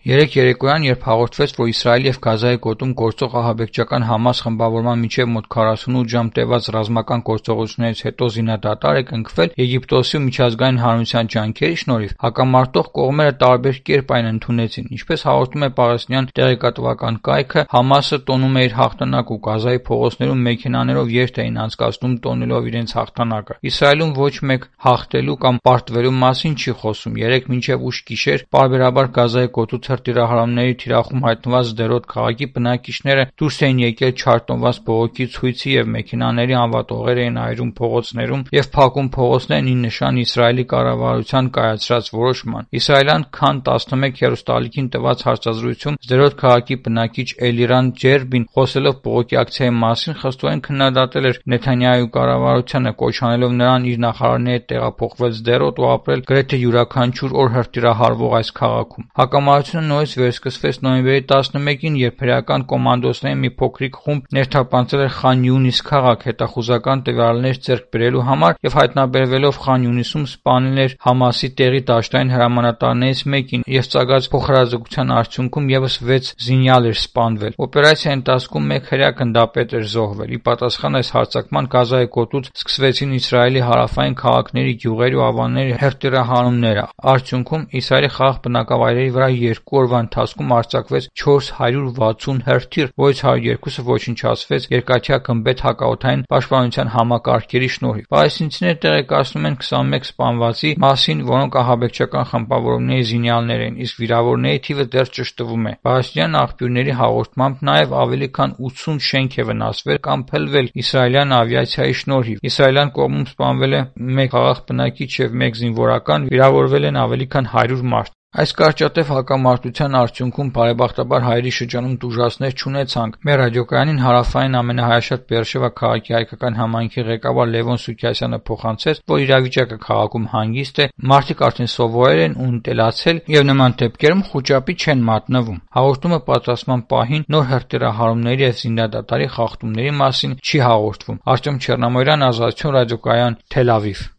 Երեկ երեկոյան, երբ հաղորդվեց, որ Իսրայելի և Գազայի գոտում գործող ահաբեկչական Համաս խմբավորման միջև մոտ 48 ժամ տևած ռազմական գործողություններից հետո զինադադար է կնքվել Եգիպտոսի ու միջազգային հանրության ջանքերի շնորհիվ, հակամարտող կողմերը տարբեր կերպ այն ընդունեցին։ Ինչպես հաղորդում է պաղեստինյան տեղեկատվական կայքը, Համասը տոնում է իր հաղթանակը ու Գազայի փողոցներում մեքենաներով երթ էին անցկացնում տոնելով իրենց հաղթանակը։ Իսրայելում ոչ մեկ հաղթելու կամ պարտվելու մասին չի խոսում։ Երեկ մինչև ուշ գիշեր պարբերաբար Գազայի գոտուց հրթիռահարումների թիրախում հայտնված Սդերոտ քաղաքի բնակիչները դուրս էին եկել չարտնված բողոքի ցույցի և մեքենաների անվատողեր էին այրում փողոցներում և փակում փողոցներն ի նշան Իսրայելի կառավարության կայացրած որոշման։ Իսրայելյան Քան 11 հեռուստաալիքին տված հարցազրույցում Սդերոտ քաղաքի բնակիչ Էլիրան Ջերբին, խոսելով բողոքի ակցիայի մասին, խստորեն քննադատել էր Նեթանյահուի կառավարությանը, կոչ անելով նրան իր նախարարների հետ տեղափոխվել Սդերոտ ու ապրել գրեթե յուրաքանչյուր օր հրթիռահարվող այս քաղաքում։ Հակամարտությունը նորից վերսկսվեց նոյեմբերի 11-ին, երբ հրեական կոմանդոսների մի փոքրիկ խումբ ներթափանցել էր Խան Յունիս քաղաք հետախուզական տվյալներ ձեռք բերելու համար և հայտնաբերվելով Խան Յունիսում սպանել էր Համասի տեղի դաշտային հրամանատարներից մեկին և ծագած փոխհրաձգության արդյունքում ևս 6 զինյալ էր սպանվել։ Օպերացիայի ընթացքում մեկ հրեա գնդապետ էր զոհվել։ Ի պատասխան այս հարձակման Գազայի գոտուց սկսվեցին Իսրայելի հարավային քաղաքների, գյուղերի ու ավանների հրթիռահարումները։ Արդյունքում Իսրայելի խաղաղ բնակավայրերի վրա 2 օրվա ընթացքում արձակվեց 460 հրթիռ, որից 102-ը ոչնչացվեց երկաթյա գմբեթ հակաօդային պաշտպանության համակարգերի շնորհիվ։ Պալեստինցիները տեղեկացնում են 21 սպանվածի մասին, որոնք ահաբեկչական խմբավորումների զինյալներ էին, իսկ վիրավորների թիվը դեռ ճշտվում է։ Պալեստինյան աղբյուրների հաղորդմամբ նաև ավելի քան 80 շենք է վնասվել կամ փլվել իսրայելյան ավիացիայի շնորհիվ։ Իսրայելյան կողմում սպանվել է 1 խաղաղ բնակիչ և 1 զինվորական, վիրավորվել են ավելի քան 100 մարդ։ Այս կարճատև հակամարտության արդյունքում բարեբախտաբար հայերի շրջանում տուժածներ չունեցանք։ Մեր ռադիոկայանին հարավային ամենահայաշատ Բեերշևա քաղաքի հայկական համայնքի ղեկավար Լևոն Սուքիասյանը փոխանցեց, որ իրավիճակը քաղաքում հանգիստ է, մարդիկ արդեն սովորել են ու ընտելացել և նման դեպքերում խուճապի չեն մատնվում։ Հաղորդումը պատրաստման պահին նոր հրթիռահարումների և զինադադարի խախտումների մասին չի հաղորդվում։ Արտем Չեռնամորյան, Ազատություն ռադիոկայան, Թել Ավիվ։